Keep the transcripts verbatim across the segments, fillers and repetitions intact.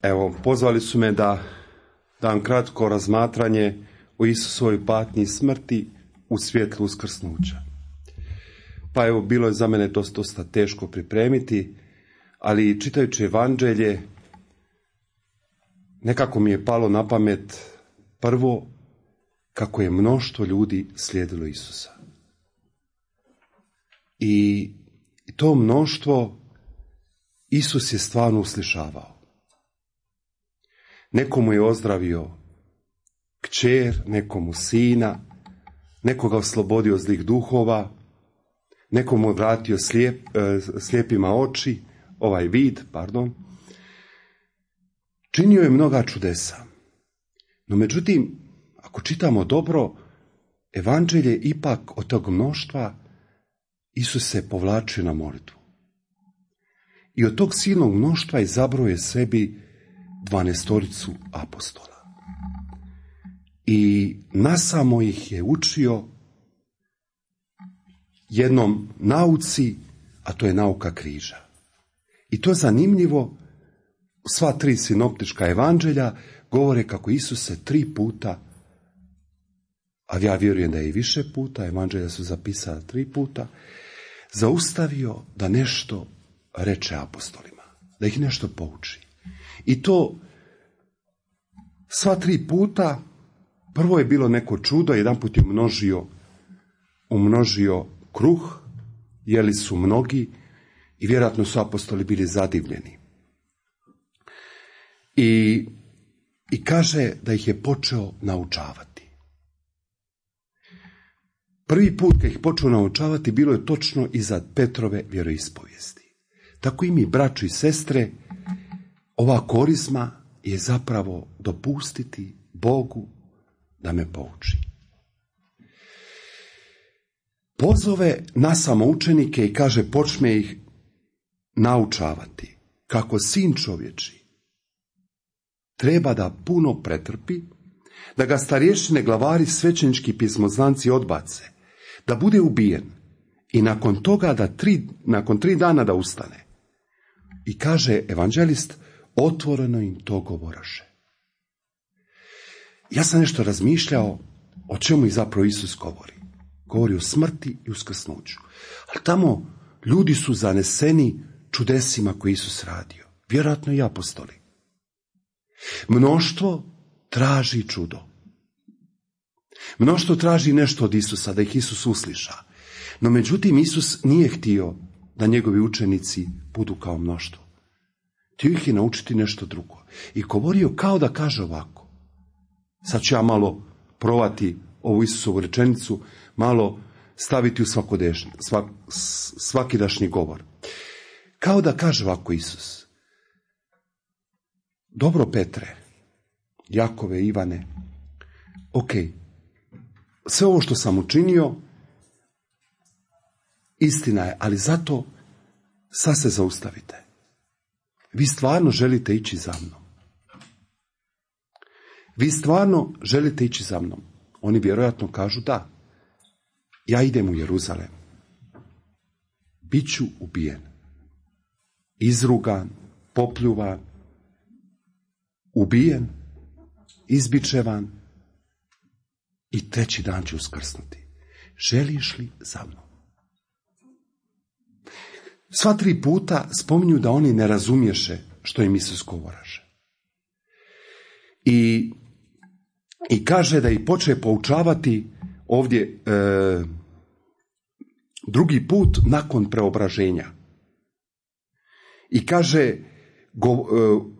Evo, pozvali su me da dam kratko razmatranje o Isusovoj patnji i smrti u svjetlu uskrsnuća. Pa evo, bilo je za mene dosta, dosta teško pripremiti, ali čitajući evanđelje, nekako mi je palo na pamet prvo kako je mnoštvo ljudi slijedilo Isusa. I to mnoštvo Isus je stvarno uslišavao. Nekomu je ozdravio kćer, nekomu sina, nekoga oslobodio zlih duhova, nekomu vratio slijep, slijepima oči, ovaj vid, pardon. Činio je mnoga čudesa. No međutim, ako čitamo dobro, evanđelje ipak od tog mnoštva Isus se povlačio na molitvu. I od tog silnog mnoštva izabrao je sebi dvanaestoricu apostola. I nasamo ih je učio jednom nauci, a to je nauka križa. I to je zanimljivo, sva tri sinoptička evanđelja govore kako Isus se tri puta, a ja vjerujem da je i više puta, evanđelja su zapisala tri puta, zaustavio da nešto reče apostolima, da ih nešto pouči. I to sva tri puta, prvo je bilo neko čudo, jedan put je umnožio, umnožio kruh, jeli su mnogi i vjerojatno su apostoli bili zadivljeni. I, i kaže da ih je počeo naučavati. Prvi put kad ih počeo naučavati bilo je točno iza Petrove vjeroispovijesti. Tako i mi, braćo i sestre, ova korizma je zapravo dopustiti Bogu da me pouči. Pozove na samo učenike i kaže počne ih naučavati kako sin čovječi treba da puno pretrpi, da ga starješine, glavari, svećenički pismoznanci odbace, da bude ubijen i nakon toga da tri, nakon tri dana da ustane. I kaže evanđelist, otvoreno im to govoraše. Ja sam nešto razmišljao o čemu i zapravo Isus govori. Govori o smrti i uskrsnuću. Ali tamo ljudi su zaneseni čudesima koje Isus radio. Vjerojatno i apostoli. Mnoštvo traži čudo. Mnoštvo traži nešto od Isusa, da ih Isus usliša. No međutim, Isus nije htio da njegovi učenici budu kao mnoštvo. Htio ih je naučiti nešto drugo. I govorio kao da kaže ovako. Sad ću ja malo provati ovu Isusovu rečenicu, malo staviti u svakodnevni, svak, svakidašnji govor. Kao da kaže ovako Isus. Dobro Petre, Jakove, Ivane, ok, sve ovo što sam učinio, istina je, ali zato sad se zaustavite. Vi stvarno želite ići za mnom. Vi stvarno želite ići za mnom. Oni vjerojatno kažu da. Ja idem u Jeruzalem. Biću ubijen. Izrugan, popljuvan, ubijen, izbičevan i treći dan ću uskrsnuti. Želiš li za mnom? Sva tri puta spominju da oni ne razumješe što im Isus govoraše. I, i kaže da ih poče poučavati ovdje e, drugi put nakon preobraženja. I kaže, go, e,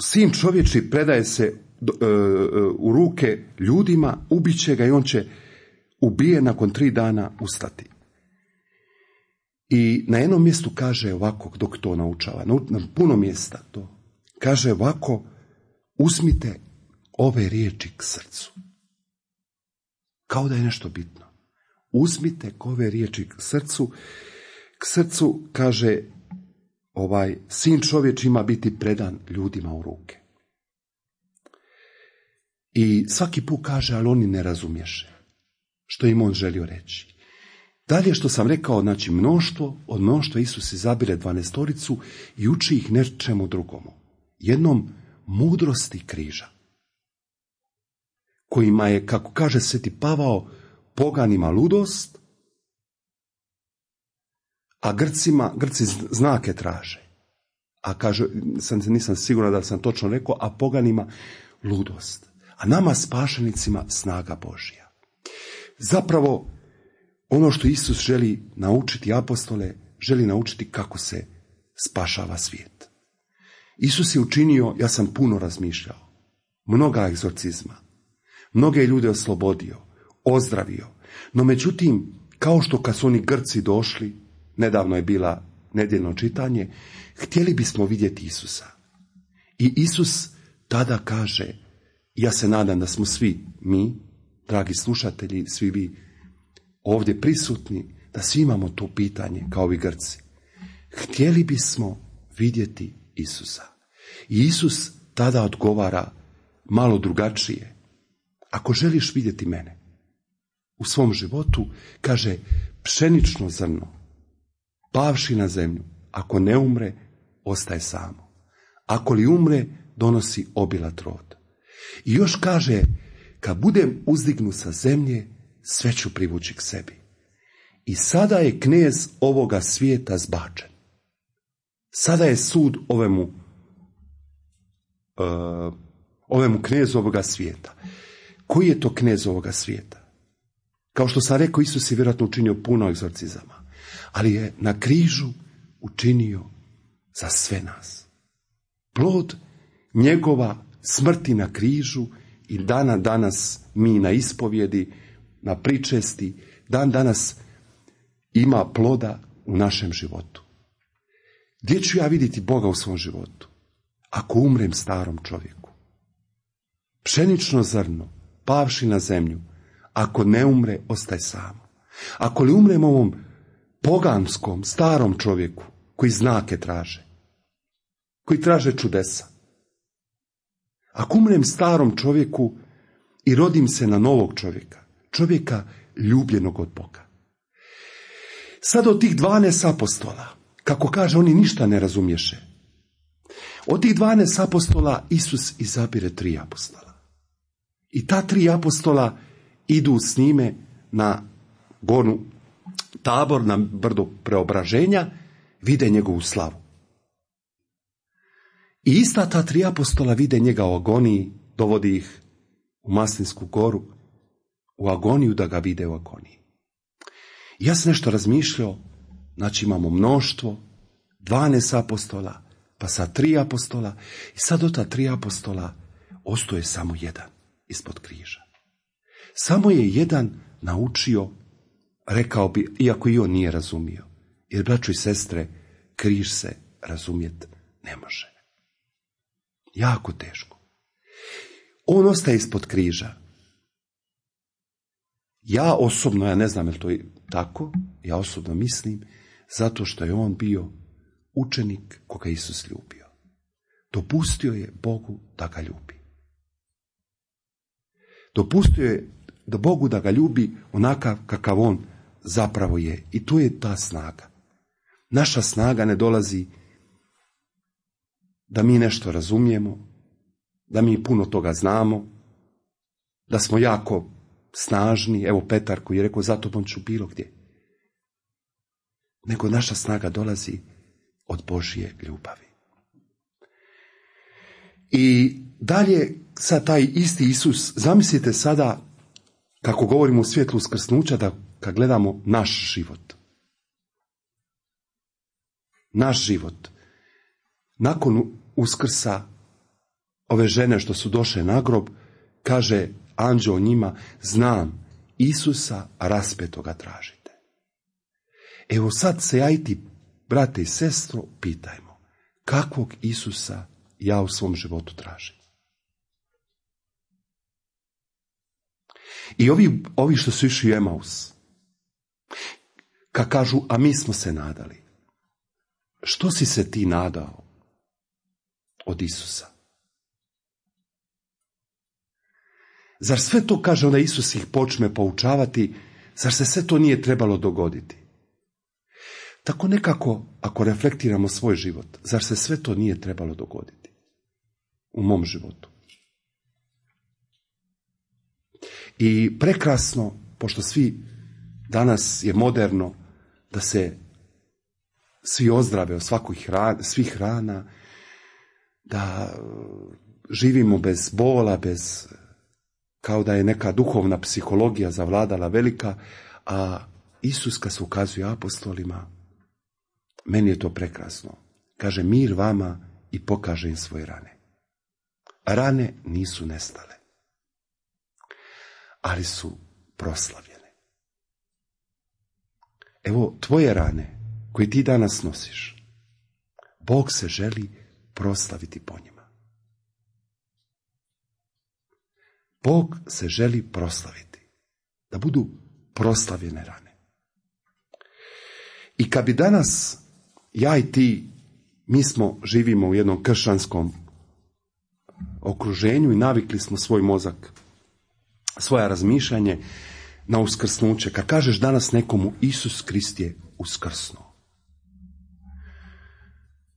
sin čovječi predaje se e, u ruke ljudima, ubiće ga i on će ubije nakon tri dana ustati. I na jednom mjestu kaže ovako, dok to naučava, na puno mjesta to, kaže ovako, uzmite ove riječi k srcu. Kao da je nešto bitno. Uzmite ove riječi k srcu. K srcu, kaže, ovaj sin čovječ ima biti predan ljudima u ruke. I svaki put kaže, ali oni ne razumješe što im on želio reći. Dalje što sam rekao, znači mnoštvo, od mnoštva Isus izabire dvanaestoricu i uči ih nečemu drugomu. Jednom mudrosti križa, kojima je, kako kaže Sveti Pavao, poganima ludost, a Grcima, Grci znake traže. A kaže, sam, nisam siguran da sam točno rekao, a poganima ludost. A nama spašenicima snaga Božja. Zapravo, ono što Isus želi naučiti apostole, želi naučiti kako se spašava svijet. Isus je učinio, ja sam puno razmišljao, mnoga egzorcizma, mnoge ljude oslobodio, ozdravio, no međutim, kao što kad su oni Grci došli, nedavno je bila nedjeljno čitanje, htjeli bismo vidjeti Isusa. I Isus tada kaže, ja se nadam da smo svi mi, dragi slušatelji, svi vi ovdje prisutni, da svi imamo to pitanje kao ovi Grci. Htjeli bismo vidjeti Isusa. I Isus tada odgovara malo drugačije. Ako želiš vidjeti mene u svom životu, kaže, pšenično zrno, pavši na zemlju, ako ne umre, ostaje samo. Ako li umre, donosi obilat rod. I još kaže, kad budem uzdignut sa zemlje, sve ću privući k sebi. I sada je knez ovoga svijeta zbačen. Sada je sud ovemu, uh, ovemu knezu ovoga svijeta. Koji je to knez ovoga svijeta? Kao što sam rekao, Isus je vjerojatno učinio puno egzorcizama, ali je na križu učinio za sve nas. Plod njegova smrti na križu i dana danas mi na ispovjedi, na pričesti, dan danas ima ploda u našem životu. Gdje ću ja vidjeti Boga u svom životu? Ako umrem starom čovjeku. Pšenično zrno, pavši na zemlju, ako ne umre, ostaje samo. Ako li umrem ovom poganskom, starom čovjeku, koji znake traže, koji traže čudesa. Ako umrem starom čovjeku i rodim se na novog čovjeka, čovjeka ljubljenog od Boga. Sad od tih dvanaest apostola, kako kaže, oni ništa ne razumješe. Od tih dvanaest apostola Isus izabire tri apostola. I ta tri apostola idu s njime na goru Tabor, na brdo preobraženja, vide njegovu slavu. I ista ta tri apostola vide njega u agoniji, dovodi ih u Maslinsku goru, u agoniju, da ga vide u agoniji. I ja sam nešto razmišljao, znači imamo mnoštvo, dvanaest apostola, pa sad tri apostola, i sad od ta tri apostola ostaje samo jedan ispod križa. Samo je jedan naučio, rekao bi, iako i on nije razumio, jer, braćo i sestre, križ se razumjet ne može. Jako teško. On ostaje ispod križa. Ja osobno, ja ne znam je li to je tako, ja osobno mislim, zato što je on bio učenik koga Isus ljubio. Dopustio je Bogu da ga ljubi. Dopustio je da Bogu da ga ljubi onakav kakav on zapravo je. I tu je ta snaga. Naša snaga ne dolazi da mi nešto razumijemo, da mi puno toga znamo, da smo jako snažni, evo Petar koji je rekao, za tobom ću bilo gdje. Nego naša snaga dolazi od Božje ljubavi. I dalje sad taj isti Isus, zamislite sada, kako govorimo u svjetlu uskrsnuća, da kad gledamo naš život. Naš život. Nakon uskrsa ove žene što su došle na grob, kaže anđeo njima, znam, Isusa raspetoga tražite. Evo sad se ja i ti, brate i sestro, pitajmo, kakvog Isusa ja u svom životu tražim? I ovi, ovi što su išli u Emaus, kad kažu, a mi smo se nadali. Što si se ti nadao od Isusa? Zar sve to, kaže onda Isus ih počne poučavati, zar se sve to nije trebalo dogoditi? Tako nekako, ako reflektiramo svoj život, zar se sve to nije trebalo dogoditi? u mom životu. I prekrasno, pošto svi danas je moderno da se svi ozdrave od svakih hrana, svih hrana, da živimo bez bola, bez, kao da je neka duhovna psihologija zavladala velika, a Isus kad se ukazuje apostolima, meni je to prekrasno. Kaže mir vama i pokaže im svoje rane. Rane nisu nestale, ali su proslavljene. Evo tvoje rane koje ti danas nosiš, Bog se želi proslaviti po njima. Bog se želi proslaviti, da budu proslavljene rane. I kad bi danas ja i ti, mi smo, živimo u jednom kršćanskom okruženju i navikli smo svoj mozak, svoja razmišljanje na uskrsnuće. Kad kažeš danas nekomu Isus Krist je uskrsnuo,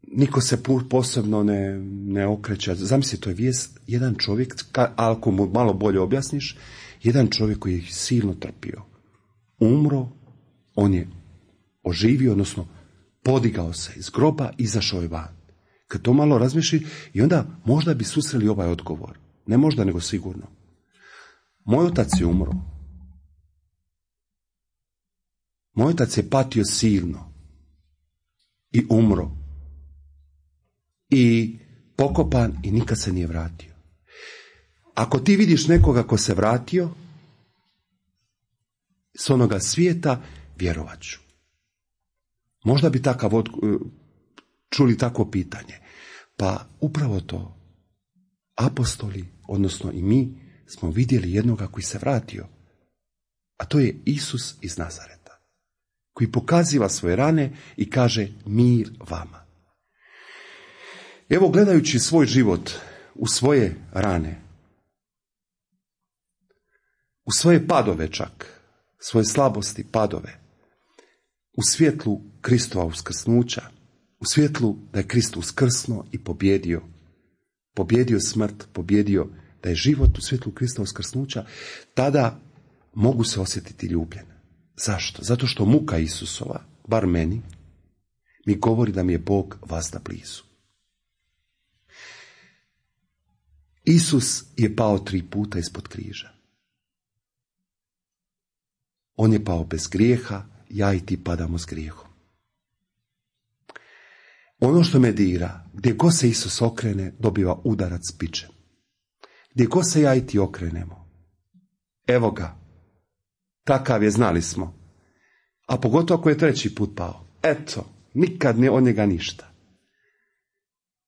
niko se posebno ne, ne okreće. Zamisli, to je vijest, jedan čovjek, ako mu malo bolje objasniš, jedan čovjek koji je silno trpio, umro, on je oživio, odnosno podigao se iz groba, izašao je van. Kad to malo razmišlji, i onda možda bi susreli ovaj odgovor. Ne možda, nego sigurno. Moj otac je umro. Moj otac je patio silno i umro. I pokopan i nikad se nije vratio. Ako ti vidiš nekoga ko se vratio s onoga svijeta, vjerovat ću. Možda bi takav od, čuli takvo pitanje. Pa upravo to, apostoli, odnosno i mi, smo vidjeli jednoga koji se vratio. A to je Isus iz Nazareta, koji pokaziva svoje rane i kaže mir vama. Evo, gledajući svoj život u svoje rane, u svoje padove čak, svoje slabosti, padove, u svjetlu Kristova uskrsnuća, u svjetlu da je Krist uskrsnuo i pobjedio, pobjedio smrt, pobjedio da je život u svjetlu Krista uskrsnuća, tada mogu se osjetiti ljubljen. Zašto? Zato što muka Isusova, bar meni, mi govori da mi je Bog vazda blizu. Isus je pao tri puta ispod križa. On je pao bez grijeha, ja i ti padamo s grijehom. Ono što me dira, gdje god se Isus okrene, dobiva udarac bičem. Gdje god se ja i ti okrenemo, evo ga, takav je, znali smo. A pogotovo ako je treći put pao, eto, nikad ne od njega ništa.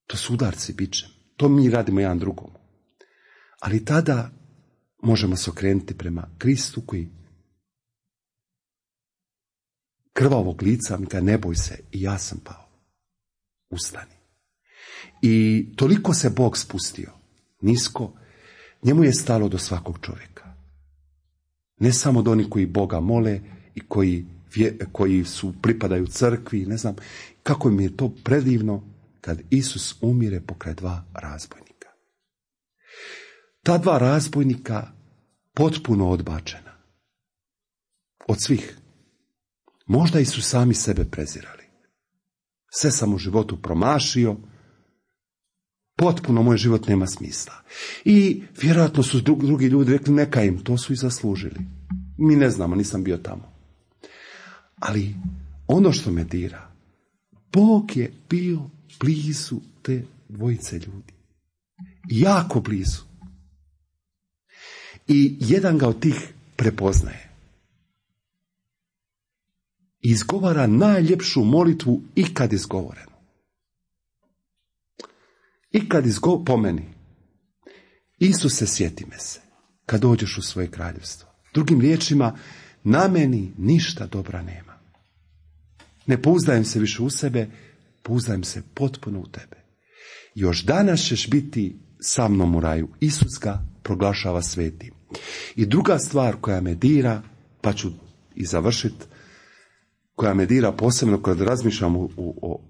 To su udarci bičem, to mi radimo jedan drugom. Ali tada možemo se okrenuti prema Kristu koji krvavog lica mi ga, ne boj se, i ja sam pao. Ustani. I toliko se Bog spustio nisko, njemu je stalo do svakog čovjeka. Ne samo do onih koji Boga mole i koji, koji su pripadaju crkvi, ne znam, kako mi je to predivno kad Isus umire pokraj dva razbojnika. Ta dva razbojnika potpuno odbačena od svih. Možda i su sami sebe prezirali. Sve sam u životu promašio, potpuno moj život nema smisla. I vjerojatno su drugi ljudi rekli neka im, to su i zaslužili. Mi ne znamo, nisam bio tamo. Ali ono što me dira, Bog je bio blizu te dvojice ljudi. Jako blizu. I jedan ga od tih prepoznaje. Izgovara najljepšu molitvu ikad izgovorenu. Ikad izgovorenu, po meni. Isuse, sjeti me se kad dođeš u svoje kraljevstvo. Drugim riječima, na meni ništa dobra nema. Ne pouzdajem se više u sebe, pouzdajem se potpuno u tebe. Još danas ćeš biti sa mnom u raju. Isus ga proglašava svetim. I druga stvar koja me dira, pa ću i završiti, koja me dira posebno kad razmišljam o, o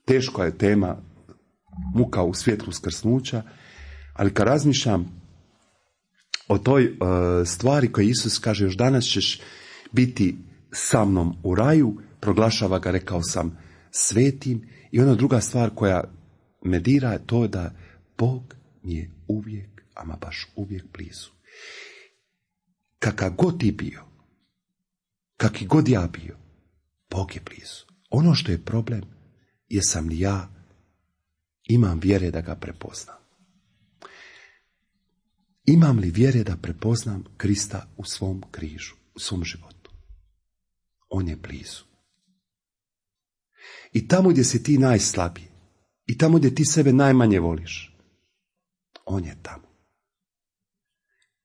teška je tema muka u svjetlu uskrsnuća, ali kad razmišljam o toj uh, stvari koje Isus kaže, još danas ćeš biti sa mnom u raju, proglašava ga, rekao sam, svetim. I ona druga stvar koja me dira je to da Bog mi je uvijek, ama baš uvijek blizu. Kakav god ti bio, kakvi god ja bio, Bog je blizu. Ono što je problem, jesam li ja imam vjere da ga prepoznam. Imam li vjere da prepoznam Krista u svom križu, u svom životu? On je blizu. I tamo gdje si ti najslabiji, i tamo gdje ti sebe najmanje voliš, on je tamo.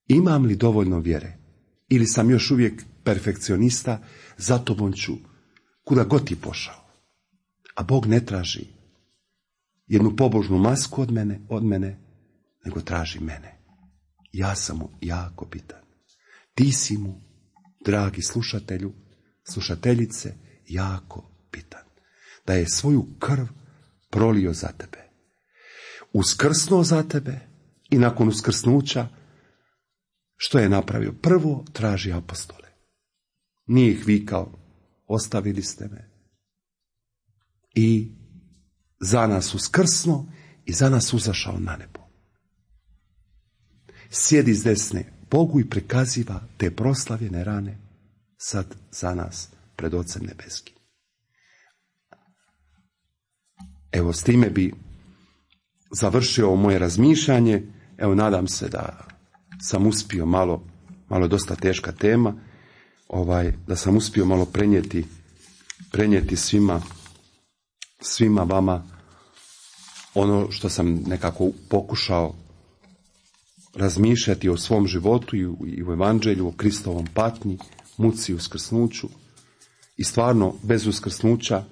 Imam li dovoljno vjere? Ili sam još uvijek perfekcionista, za tobom ću kuda god ti pošao. A Bog ne traži jednu pobožnu masku od mene, od mene, nego traži mene. Ja sam mu jako bitan. Ti si mu, dragi slušatelju, slušateljice, jako bitan. Da je svoju krv prolio za tebe. Uskrsnuo za tebe i nakon uskrsnuća što je napravio? Prvo traži apostole. Nije ih vikao, ostavili ste me. I za nas uskrsnuo i za nas uzašao na nebo. Sjedi s desne Bogu i prikaziva te proslavljene rane sad za nas pred Ocem nebeskim. Evo, s time bi završio ovo moje razmišljanje. Evo, nadam se da sam uspio malo, malo dosta teška tema, ovaj, da sam uspio malo prenijeti, prenijeti svima, svima vama ono što sam nekako pokušao razmišljati o svom životu i u, i u evanđelju, o Kristovom patnji, muci i uskrsnuću. I stvarno, bez uskrsnuća,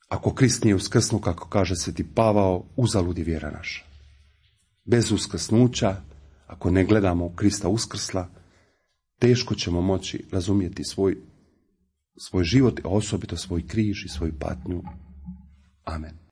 ako Krist nije uskrsnuo, kako kaže sveti Pavao, uzalud je vjera naša. Bez uskrsnuća, ako ne gledamo u Krista uskrsla, teško ćemo moći razumjeti svoj, svoj život, a osobito svoj križ i svoju patnju. Amen.